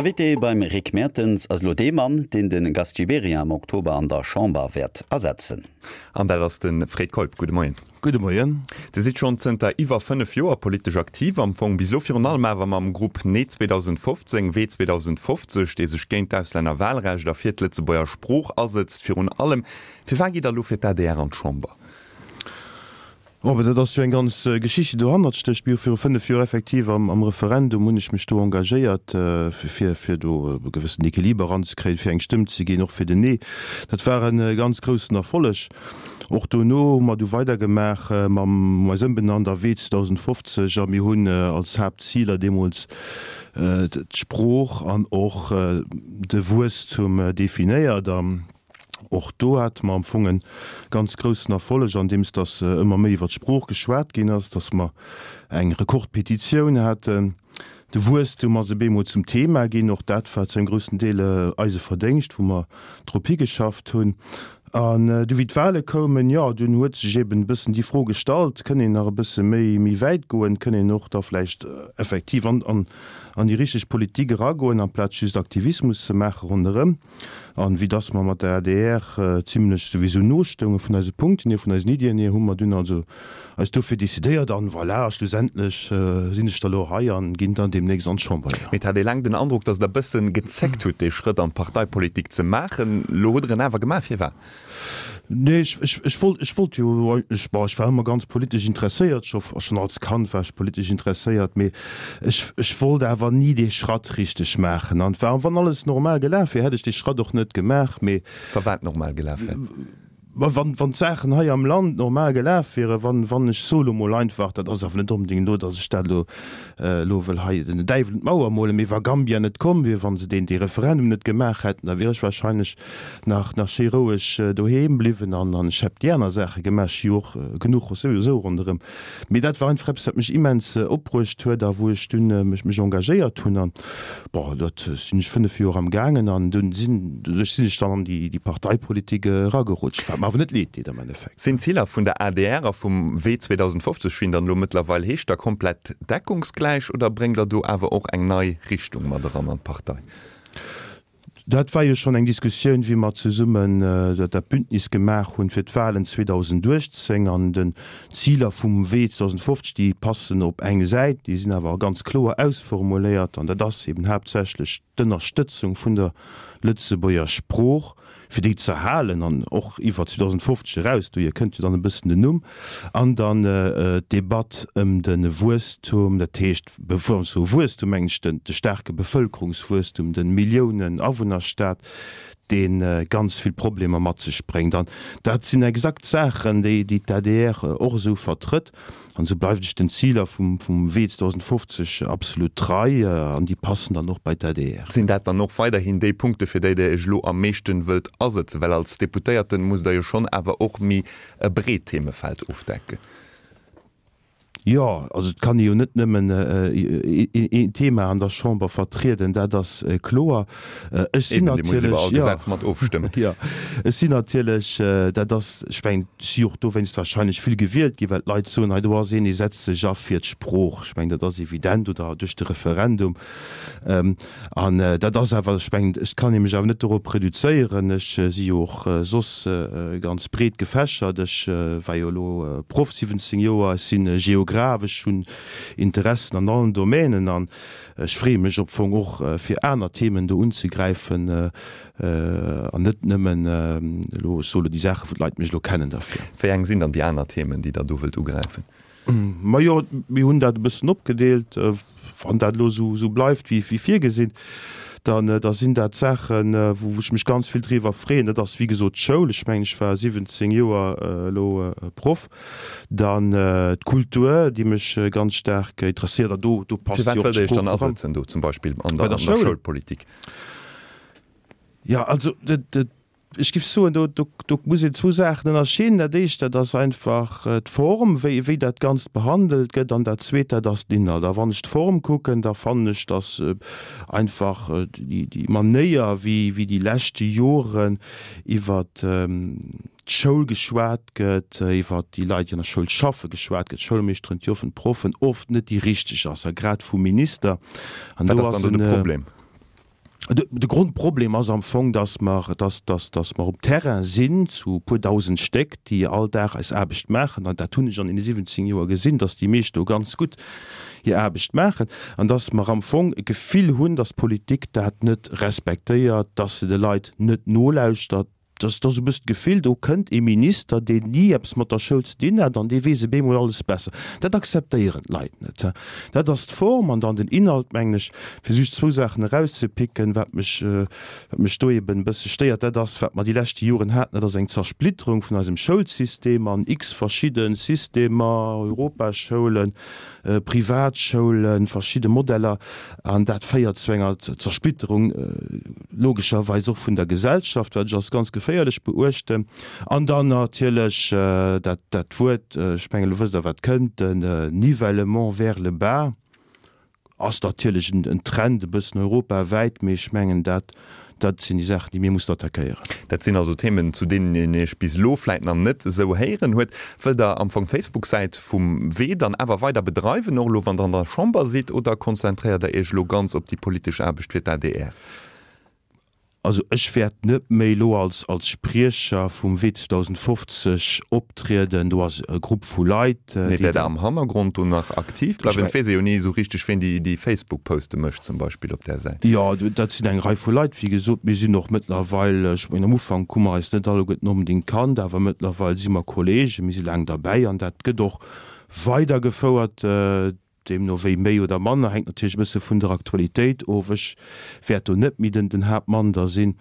Invité beim Rick Mertens ass elo dee Mann, deen de Gast Gibéryen am Oktober an der Chamber wäert ersetzen. An dat ass de Fred Keup. Gudde Moien. Gudde Moien. Dir sidd schonn zënter iwwer 5 Joer politesch aktiv, am Fong bis elo virun allem awer mam Grupp Nee 2015, Wee 2050, dee sech géint d'Auslännerwahlrecht a fir d'Lëtzebuerger Sprooch asëtzt. Virun allem, firwat gitt Der elo fir d'ADR an d'Chamber? Oh, mä dat ass jo eng ganz Geschicht, déi dohannert stécht. Mir hu viru 5 Joer effektiv am am Referendum hunn ech mech do engagéiert, fir fir do e gewëssen Equiliber eranzekréien, fir eng Stëmm ze ginn, och fir den Nee. Dat war e ganz groussen Erfolleg. Och dono hu mer du weidergemaach mam eis ëmbenannt a Wee 2050 a mir hunn als Haaptziler deemools d'Sprooch an och de Wuesstum definéiert. An och do hate mer am Fong e ganz groussen Erfolleg, andeems datt ëmmer méi iwwer d'Sprooch geschwat ginn ass, datt mer eng Rekordpetitioun haten. De Wuesstum ass op eemol zum Thema ginn. Och dat war zu engem groussen Deel eise Verdéngscht, wou mer drop higeschafft hunn. An du wéi d'Wahle koumen, jo, dunn huet sech eben e bëssen déi Fro gestallt, kënn een nach e bësse méi, méi wäit goen, kënn een och da vläicht effektiv an, an, an déi richteg Politik eragoen, amplaz just Aktivismus ze maache ronderëm. An vue dass mer mat der adr zimlech souwisou no stounge vun eise Punkten hier, vun eisen Iddien hier, hu mer dunn also eis dofir decidéiert. An voilà, a schlussendlech sinn ech da lo hei an ginn dann deemnächst an d'Chamber, jo. Mee et hat ee laang den Androck, dass Der e bëssen gezéckt hutt, dee Schrëtt an d'Parteipolitik ze maachen. Lo hutt Der en awer gemaach. Firwat? Nee, ech, ech, ech wollt, ech wollt jo eigentlech, bon, ech war ëmmer ganz politesch interesséiert, scho, schonn als Kand war ech politesch interesséiert, mee ech, ech wollt awer ni dee Schratt richteg maachen. An wa, wann alles normal gelaf wier, hätt ech dee Schratt och net gemaach, mee. Wa wat normal gelaf wär? Ma wann, wann d'Saachen hei am Land normal gelaf wieren, wann, wann, ech soe lo mol einfach, dat ass awer net onbedéngt elo, datt ech dat elo, elo wëll hei den Däiwel un d'Mauer molen, mee wa Gambia net komm wier, wa se deen, dee Referendum net gemaach hätten, da wier ech wahrscheinlech nach nach schéi roueg doheem bliwwen an an ech hätt déi aner Saache gemaach, ech hu jo och genuch souwisou ronderëm. Mee dat war einfach eppes, wat mech immens opbruecht huet a wou ech dunn mech mech engagéiert hunn an bon, dat sinn ech 5 Joer am gaangen an dunn sinn doduerch sinn ech dann an déi déi Parteipolitik eragerutscht, wat mer awer net leed deet am Endeffekt. Sinn d'Ziler vun der adr a vum Wee 2050, wéi en dann elo mëttlerweil heescht, da komplett deckungsgläich oder bréngt Der do awer och eng nei Richtung mat eran an d'Partei? Dat war jo schonn eng Diskussioun, wéi mer zesummen dat Bündnis gemaach hunn fir d'Wahlen 2018. An den Ziler vum Wee 2050, déi passen op eng Säit, déi sinn awer ganz kloer ausformuléiert. An dat ass eben haaptsächlech d'Ënnerstëtzung vun der Lëtzebuerger Sprooch, fir déi z'erhalen an och iwwer 2050 eraus, dohier kënnt jo dann e bëssen den Numm. An dann d'Debatt ëm de Wuesstum, dat heescht, Bevor ech soe Wuesstum, mengen ech den de staarke Bevëlkerungswuesstum, de Milliounen-Awunnerstaat, dee ganz vill Problemer mat sech bréngt. An dat sinn exakt Saachen, déi déi d'ADR och esou vertrëtt. An esou bleift ech den Ziler vum vum Wee 2050 absolut trei an déi passen dann och bei d'ADR. Sinn dat dann och weiderhin déi Punkte fir déi Der Iech elo am meeschten wëllt asëtzen? Well als Deputéierten musst Der jo schonn awer och méi e breet Themefeld ofdecken. Jo, also et kann ee jo net nëmmen een Thema an der Chamber vertrieden, dat ass kloer. Ech sinn natierlech, jo, jo, ech sinn natierlech, dat ass, ech mengen, ech si och dowéinst wahrscheinlech vill gewielt ginn, well d'Leit soen, hei do ass een, dee setzt sech a fir d'Sprooch. Ech mengen, dat ass evident, oder duerch de Referendum. An dat ass awer, ech mengen, ech kann ee mech awer net dorop reduzéieren. Ech si jo och soss ganz breet gefächert. Ech war jo elo Proff 17 Joer, ech si Geograph, ech hunn Interessen an allen Domänen an ech freeë mech op Fong och fir aner Themen do unzegräifen an net nëmmen elo, ech soe elo déi Saachen, wou d'Leit mech elo kennen derfir. Wéi eng sinn dann déi aner Themen, déi Der do wëllt ugräifen? Majo, mir hunn dat e bëssen opgedeelt. Wann dat elo esou bleift wéi virgesinn, dann da sinn dat Saachen, wou ech mech ganz vill driwwer freeën. Dat ass wéi gesot d'Schoul. Ech mengen, ech war 17 Joer elo Proff. Dann d'Kultur, déi mech ganz staark interesséiert. An do do passt jo och d'Sprooch eran. Firwat wëllt Der Iech dann asetzen do zum Beispill an der Schoulpolitik? Jo, also dat. Ech géif soen, do, do, do muss een zwou Saachen ënnerscheeden. Dat éischt, dat ass einfach d'Form, wéi, wéi dat Ganzt behandelt gëtt, an dat Zweet, dat ass den Inhalt. A wann ech d'Form kucken, da fannen ech, datt einfach déi, déi Manéier, wéi, wéi déi leschte Joren iwwert d'Schoul geschwat gëtt, iwwert déi Leit, déi an der Schoul schaffen, geschwat gëtt, d'Schoulmeeschteren, d'Joffen, d'Proffen, oft net déi richteg ass, a grad vum Minister. An do ass en. Wat ass dann do de Problem? De Grondproblem ass am Fong, dass mer, dass, dass, dass mer um Terrain sinn zu e puer dausend Stéck, déi all Dag eis Aarbecht maachen, an dat hunn ech an deene 17 Joer gesinn, dass déi meescht do ganz gutt hir Aarbecht maachen, an dass mer am Fong e Gefill hunn, dass d'Politik dat net respektéiert, dass se de Leit net nolauschtert. Dass ass esou e bëssen d'Gefill, do kënnt ee Minister, deen ni eppes mat der Schoul ze dinn hat, an dee weess op eemol alles besser. Dat akzeptéieren d'Leit net. Dat ass d'Form. An dann den Inhalt, mengen ech, fir just zwou Saachen erauszepicken, wat mech, wat mech do eben e bësse stéiert, dat ass, wat mer déi leschte Joren haten, dat ass eng Zersplitterung vun eisem Schoulsystem an x verschidde Systemer, Europaschoulen, Privatschoulen, verschidde Modeller, an dat féiert zu enger Zersplitterung logescherweis och vun der Gesellschaft, wat ech als ganz geféierlech beuechten. An dann natierlech dat dat Wuert, ech mengen, elo wësst Der, wat kënnt, den Nivellement vers le bas ass natierlech en Trend e bëssen europawäit, mee ech mengen, dat Dat sinn déi Saachen, déi mir mussen attackéieren. Dat sinn also Themen, zu deenen een Iech bis elo vläit nach net esou héieren huet. Wëllt Der am Fong d'Facebook-Säit vum Wee dann awer weider bedreiwen, och elo wann Der an der Chamber sidd, oder konzentréiert Der Iech elo ganz op déi politesch Aarbecht fir d'ADR? Also ech wäert net méi elo als als Spriecher vum Wee 2050 optrieden. Do ass e Grupp vu Leit, déi. Mee wäert Der am Hannergrond do nach aktiv bleiwen? Et weess ee jo ni esou richteg, ween déi déi Facebook-Poste mécht zum Beispill op där Säit. Jo, dat sinn eng Rei vu Leit, wéi gesot. Mir sinn och mëttlerweil, ech mengen am Ufank hu mer eis net alleguerten onbedéngt kannt, awer mëttlerweil si mer Kollegen, mir si laang derbäi an dat gëtt och weidergefouert, deemno wéi méi oder manner, hänkt natierlech e bësse vun der Aktualitéit of. Ech wäert do net méi den Haaptmann da sinn.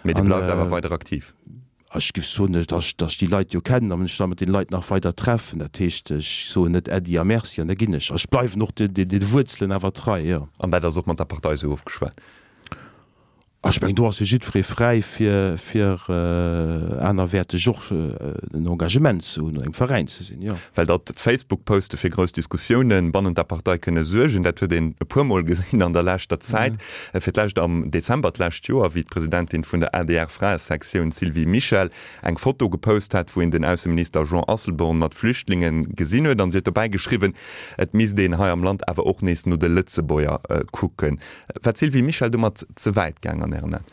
Mee Dir bleift awer weider aktiv? Ech géif soen, datt ech déi Leit jo kennen a mech da mat deene Leit nach weider treffen. Dat heescht, ech soen net Äddi a Merci an da ginn ech. Ech bleiwen och de Wuerzelen awer trei, jo. An dat ass och mat der Partei esou ofgeschwat? Ech mengen, do ass jo jiddweree fräi fir fir anerwäerteg och en Engagement ze hunn, an engem Veräin ze sinn, jo. Well datt Facebook-Poste fir grouss Diskussiounen bannent der Partei kënne suergen, dat huet een e puer Mol gesinn an der leschter Zäit. Fir d'lescht am Dezember d'lescht Joer, wéi d'Presidentin vun der ADR-Fraesektioun Sylvie Mischel eng Foto gepost hat, wou een den Ausseminister Jean Asselborn mat Flüchtlinge gesinn huet. An si huet dobäi geschriwwen, et misst een hei am Land awer och nees no de Lëtzebuerger kucken. War d'Sylvie Mischel domat ze wäit gaang an Ären Aen?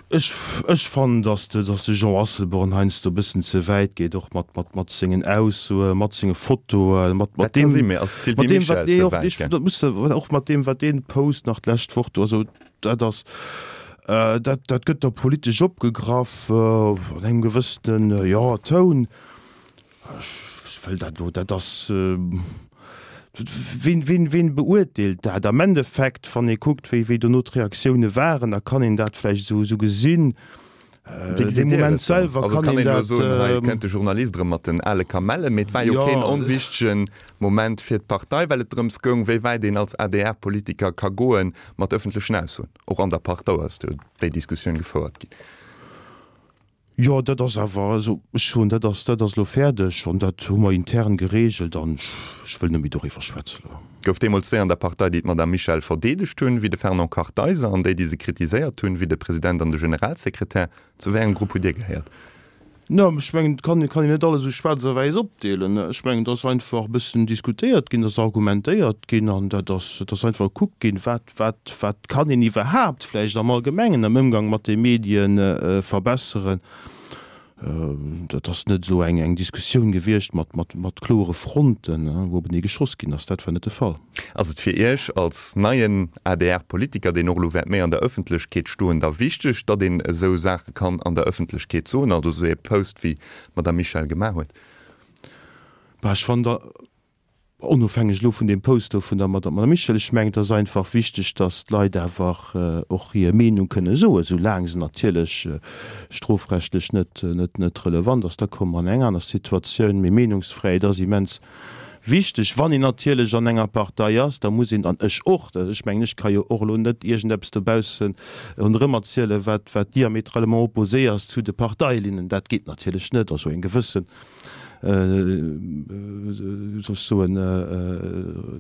Ech ech fannen, datt de datt de Jean Asselborn heiansdo e bëssen ze wäit geet, och mat mat mat sengen Aussoen, mat senge Fotoen, mat mat deem mat deem wat dee och ech dat muss de och mat deem wat deen post nach d'lescht Woch do also dat ass dat dat gëtt da politesch opgegraff an engem gewëssenen jo Toun. Ech wëll dat elo, dat ass, wien, wien, wien beurteelt dat? Am Endeffekt, wann ee kuckt, wéi, wéi dono d'Reaktioune waren, da kann een dat vläicht esou, esou gesinn. Dee Moment selwer kann een dat. Soen, hei kënnt de Journalist erëm mat den ale Kamellen. Mee et war jo keen onwichtege Moment fir d'Partei, well et drëms goung, wéi wäit een als ADR-Politiker ka goe mat ëffentlechen Aussoen. Och an der Partei ass do déi Diskussioun gefouert ginn. Jo, dat ass awer, also ech soen, dat ass, dat ass elo fäerdeg an dat hu mer intern geregelt an ech wëll net méi doriwwer schwätzen elo. Gouf deemools déi an der Partei, déi d'Madame Michel verdeedegt hunn, wéi de Fernand Kartheiser, an déi, déi se kritiséiert hunn, wéi de President an de Generalsekretär. Zu wéi engem Grupp hutt Dir gehéiert? No, ech mengen, et kann, kann een net alles esou schwaarz a wäiss opdeelen. Ech mengen, et ass einfach e bëssen diskutéiert ginn, et ass argumentéiert ginn an dat ass, et ass einfach gekuckt ginn, wat, Wat, wat kann een iwwerhaapt vläicht am Allgemengen am Ëmgang mat de Medie verbesseren? Dat ass net esou eng, eng Diskussioun gewiescht mat, mat, mat kloere Fronten, wou openee geschoss ginn ass. Dat war net de Fall. Ass et fir Iech als neien ADR-Politiker, deen och elo wäert méi an der Ëffentlechkeet stoen, da wichteg, datt een esou Saache kann an der Ëffentlechkeet soen, also esou ee Post wéi d'Madame Michel gemaach huet? Bah, ech fannen da, Onofhängeg elo vun deem Post do vun der Madame Michel, ech mengen, et ass einfach wichteg, datt d'Leit awer och hir Meenung kënne soen, esou laang se natierlech strofrechtlech net, net, net relevant ass. Da komme mer an eng aner Situatioun. Mee Meenungsfräiheet ass immens wichteg. Wann een natierlech an enger Partei ass, da muss een, an ech och, ech mengen, ech ka jo och elo net iergendeppes dobausse ronderëm erzielen, wat, wat diamétralement opposé ass zu de Parteilinnen. Dat geet natierlech net. Also eng gewëssen soll ech soen,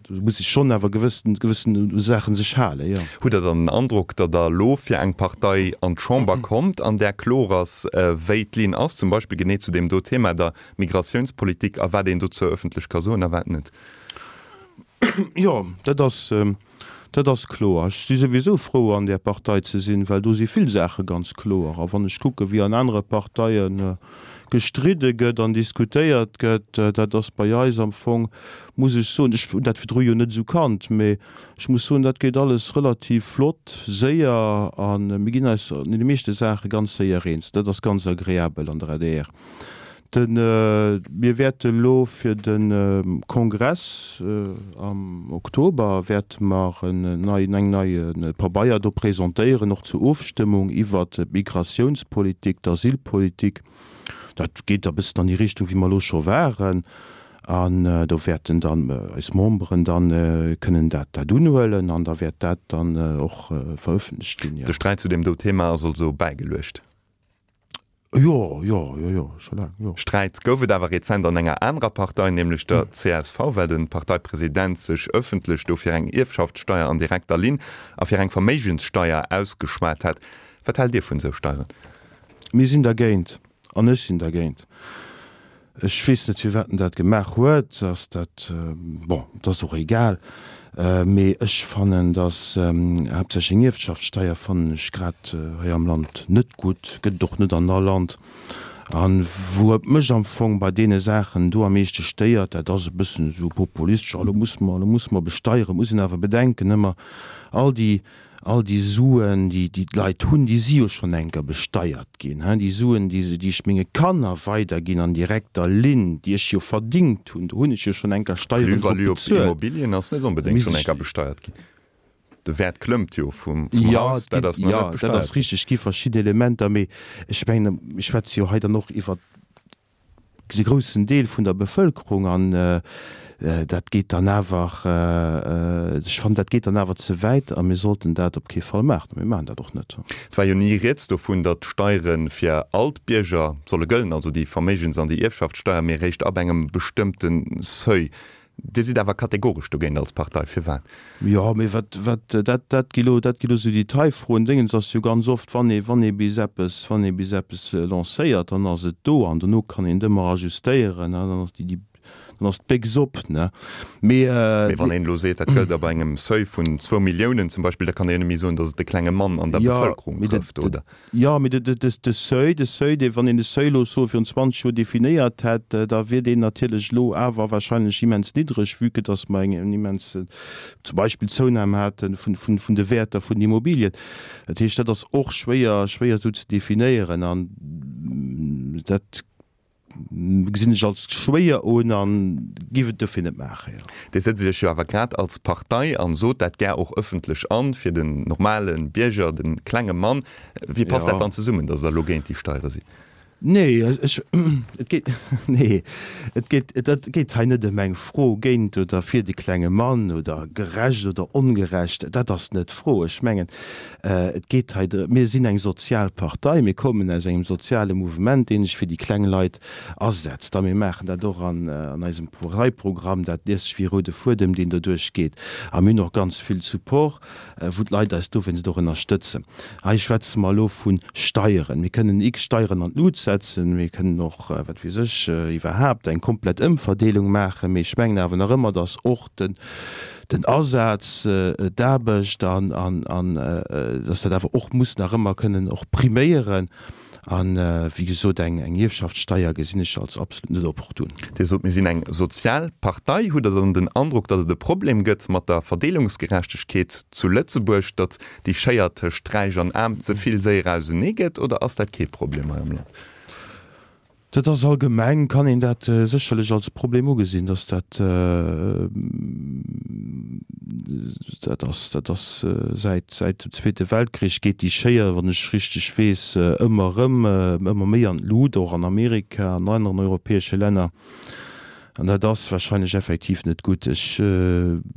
do muss ech schonn awer gewëssen, gewëssen u Saachen sech halen, jo. Hutt Der dann den Androck, datt Der elo fir eng Partei an d'Chamber kommt, an där kloer ass, wéi d'Linn ass, zum Beispill genee zu deem do Thema, der Migratiounspolitik, a wat een dozou ëffentlech ka soen a wat net? Jo, dat ass. Dat ass kloer. Ech si souwisou frou, an där Partei ze sinn, well do si vill Saache ganz kloer. A wann ech kucke wéi an anere Parteie gestridde gëtt an diskutéiert gëtt, dat ass bei eis am Fong, muss ech soen, ech hunn dat virdru jo net esou kannt, mee ech muss soen, dat geet alles relativ flott, séier a mir ginn eis an deene meeschte Saache ganz séier eens. Dat ass ganz agreabel an der adr. Den, mir wäerte elo fir de Kongress am Oktober wäerte mer en neien, eng neie Pabeier do presentéieren, och zur Ofstëmmung iwwert d'Migratiounspolitik, d'Asylpolitik. Dat geet e bëssen an déi Richtung, wéi mer elo scho waren. An do wäerten dann eis Memberen dann kënnen dat, dat unhuelen an da wäert dat dann och verëffentlecht ginn, jo. De Sträit zu deem do Thema ass also bäigeluecht. Jo, jo, jo, jo, scho laang, jo. Sträit gouf et awer rezent an enger anerer Partei, nämlech der csv, well de Parteipresident sech ëffentlech do fir eng Ierfschaftssteier an direkter Linn a fir eng Verméigenssteier ausgeschwat hat. Wat haalt Dir vun esou Steieren? Mir sinn dergéint, an ech sinn dergéint. Ech weess net, firwat en dat gemaach huet. Ass dat, bon, et ass och egal. Mee ech fannen, datt haaptsächlech eng Ierfschaftssteier fannen ech grad hei am Land net gutt, gëtt et och net an all Land. A wou et mech am Fong bei deene Saachen do am meeschte stéiert, dat ass e bëssen esou populistesch, oh lo musse mer, lo musse mer besteieren. Muss een awer bedenken ëmmer, all déi All déi Suen, déi d'Leit hunn, déi si jo schonn enker besteiert ginn. Déi Suen, déi ech menge Kanner weiderginn an direkter Linn, déi ech jo verdingt hunn, do hunn ech jo schonn enker Steieren drop D'Plus-value op bezuelt. Immobilien ass net onbedéngt schonn enker besteiert ginn. De Wäert klëmmt jo vum Haus, dat ass nach net besteiert ginn. Jo, dat ass richteg, et gi verschidde Elementer, mee ech mengen, mir schwätze jo hei dann och iwwert de groussen Deel vun der Bevëlkerung an dat geet dann awer, ech fannen, dat geet dann awer ze wäit a mir sollten dat op kee Fall maachen a mir maachen dat och net. Et war jo ni rieds dovun, datt d'Steiere fir all d'Bierger solle gëllen, also déi Verméigens an déi Ierfschaftssteier, mee eréischt ab engem bestëmmte Seuil. Dir sidd awer kategoresch dogéint als Partei. Firwat? Jo, mee wat, wat, dat, dat gi lo, dat gi lo sou Detailfroen. Déngens ass jo ganz oft, wann ee, wann ee bis eppes, wann ee bis eppes lancéiert, dann ass et do an dono kann een et ëmmer ajustéieren, ne, dann ass déi, déi, dann ass d'Béchs op, ne. Mee, Mee wann een elo seet, dat gëllt ab engem Seuil vun zwou Milliounen zum Beispill, da kann ee jo net méi soen, datt et de klenge Mann an der jo, Bevëlkerung mee de, trëfft, de, oder? Jo, mee de Seuil, de Seuil, dee, wann een de Seuil elo soe virun 20 Joer definéiert hätt, da wier deen natierlech elo awer wahrscheinlech immens niddreg, vue que dass mer eng immens zum Beispill Zounam hate vun de Wäerter vun den Immobilien. Dat heescht, dat ass och schwéier, schwéier esou ze definéieren an dat Gesinn ech als schwéier un an giff et dofir net maachen, jo. Dir sëtzt Iech jo awer grad als Partei an sot dat gär och ëffentlech an, fir den normale Bierger, de klenge Mann. Wéi passt dat dann zesummen, datt Der elo géint déi Steiere sidd? Nee, ech, et geet, nee, et geet, et geet hei net ëm eng Fro géint oder fir de klenge Mann oder gerecht oder ongerecht. Dat ass net d'Fro. Ech mengen, Et geet hei drëm, mir sinn eng sozial Partei, mir kommen aus engem soziale Mouvement, dee sech fir déi kleng Leit asetzt. A mir maachen dat och an eisem Parteiprogramm, dat liest sech wéi e roude Fuedem, deen doduerch geet. A mir hunn och ganz vill Support, wou d'Leit eis dowéinst och ënnerstëtzen. Hei schwätze mer elo vu Steieren. Mir kënnen x Steieren an d'Lut setzen, mir kënnen och, wat weess ech, iwwerhaapt eng komplett Ëmverdeelung maachen. Mee ech mengen awer nach ëmmer, datt och den, den Asaz, d'Aarbecht an, an, an dass dat awer och muss nach ëmmer kënnen och priméieren. An, wéi gesot, eng, eng Ierfschaftssteier gesinn ech als absolut net opportun. Dir sot, mir sinn eng sozial Partei. Hutt Der dann den Androck, datt et e Problem gëtt mat der Verdeelungsgerechtegkeet zu Lëtzebuerg, datt déi Schéier tëscht Räich an Aarm ze vill séier ausenee gëtt, oder ass dat kee Problem hei am Land? Dat ass allgemeng, kann een dat sécherlech als Problem ugesinn, dass dat, dat ass, dat ass säit, säit dem Zweete Weltkrich geet déi Schéier, wann ech richteg weess, ëmmer erëm, ëmmer méi an d'Lut, och an Amerika, an aneren europäesche Länner. An dat ass wahrscheinlech effektiv net gutt. Ech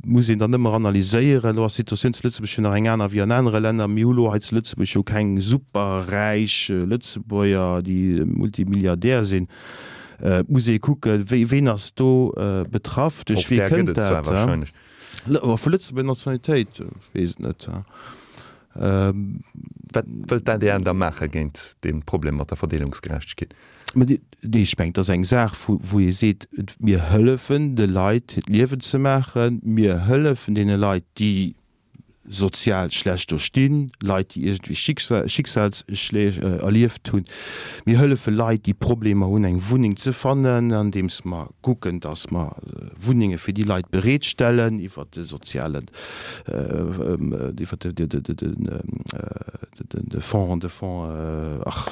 muss een dann ëmmer analyséieren. Elo ass d'Situatioun zu Lëtzebuerg jo nach eng aner wéi an anere Länner. Mir hu lo hei zu Lëtzebuerg jo keng superräich Lëtzebuerger, déi Multimilliardär sinn. Et muss ee kucken, wéi, ween ass do betraff, duerch Och wee där gëtt kënnt et zwar dat. wahrscheinlech. Vu Lëtzebuerger Nationalitéit, ech weess et net. Wat wëllt d'ADR da maache géint dee Problem mat der Verdeelungsgerechtegkeet? Mä nee, ech mengen, et ass eng Saach, wou ee seet, mir hëllefen de Leit, hiert Liewen ze maachen, mir hëllefen deene Leit, déi. sozial schlecht do stinn, Leit, déi iergendwéi Schicksalsschlég erlieft hunn. Mir hëllefe Leit, déi Problemer hunn, eng Wunneng ze fannen, andeems mer kucken, dass mer Wunnenge fir déi Leit bereetstellen iwwert de sozialen, iwwert de Fonds, de Fonds, ach.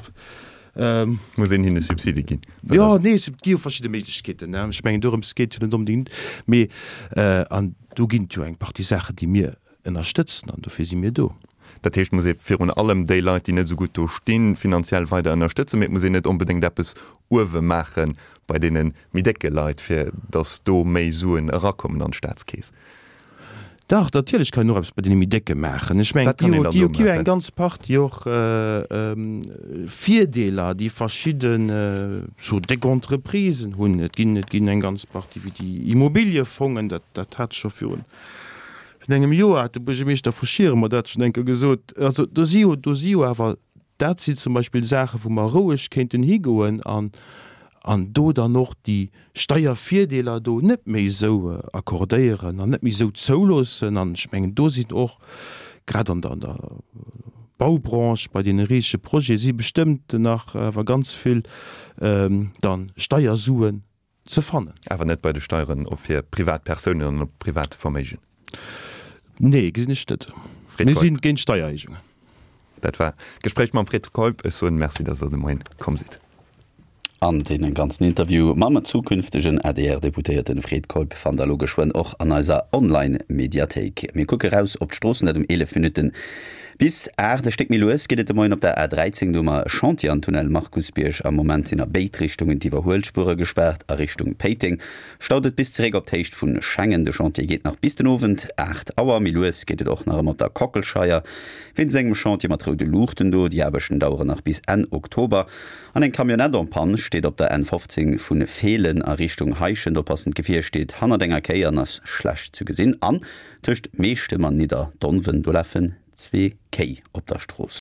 Muss een hinne Subside ginn? Jo, nee, et gi jo verschidde Méiglechkeeten. Ech mengen, dorëms geet et jo net onbedéngt. Mee, an do ginn et jo eng Partie Saachen, déi mir ënnerstëtzen, an dofir si mir do. Dat heescht, et muss ee virun allem déi Leit, déi net esou gutt do stinn, finanziell weider ënnerstëtzen, mee et muss een net onbedéngt eppes uewe maache bei deene méi décke Leit, fir datt do méi Suen erakommen an d'Staatskeess. Dach, natierlech kann een och eppes bei deene méi Décke maachen. Ech mengen, Wat kann een et dann gi do jo eng maachen? ganz Partie och Virdeeler, déi verschidden sou déck Entreprisen hunn. Et ginn, et ginn eng ganz Partie wéi déi Immobiliefongen, dat, dat hat scho virun engem Joer hat de Buergermeeschter vu Schieren mer dat schonn eng Kéier gesot. Also do si jo, do si jo awer, dat sinn zum Beispill Saachen, wou mer roueg kéinten higoen an, an do dann och déi Steiervirdeeler do net méi esou accordéieren an net méi esou zouloossen. An ech mengen, do sinn och grad an der, an der Baubranche bei deene risege Projete si bestëmmt nach awer ganz vill dann Steiersuen ze fannen. Awer net bei de Steieren op fir privat Persounen an op privat Verméigen? Nee, gesinn ech net. Fred Mir Keup. sinn géint Steiererhéijungen. Dat war d'Gespréich mam Fred Keup. Ech soen Merci, dass Der de Moien komm sidd. An dee ganzen Interview mam zukünftegen ADR-Deputéierten Fred Keup fannt der elo geschwënn och an eiser Online-Mediathéik. Mir kucke raus op d'Stroossen, dat um 11 Minutten bis 8. E Stéck méi lues geet et de Moien op der A13, do hu mer e Chantier an Tunnel Markusbierg. Am Moment sinn a béid Richtungen d'Iwwerhuelspuere gespaart. A Richtung Péiteng staut et bis zeréck op d'Héicht vu Schengen. De Chantier geet nach bis den Owend 8 Auer. Méi lues geet et och nach ëmmer op der Kockelscheier wéinst engem Chantier mat roude Luuchten do. Déi Aarbechten daueren nach bis Enn Oktober. An eng Camionnette en panne steet op der N15 vu Feelen a Richtung Heischent. Oppassen, d'Gefier steet hannert enger Kéi an ass schlecht zu gesinn. An tëscht Meechtem an Nidderdonwen, do lafen zwee Kéi op der Strooss.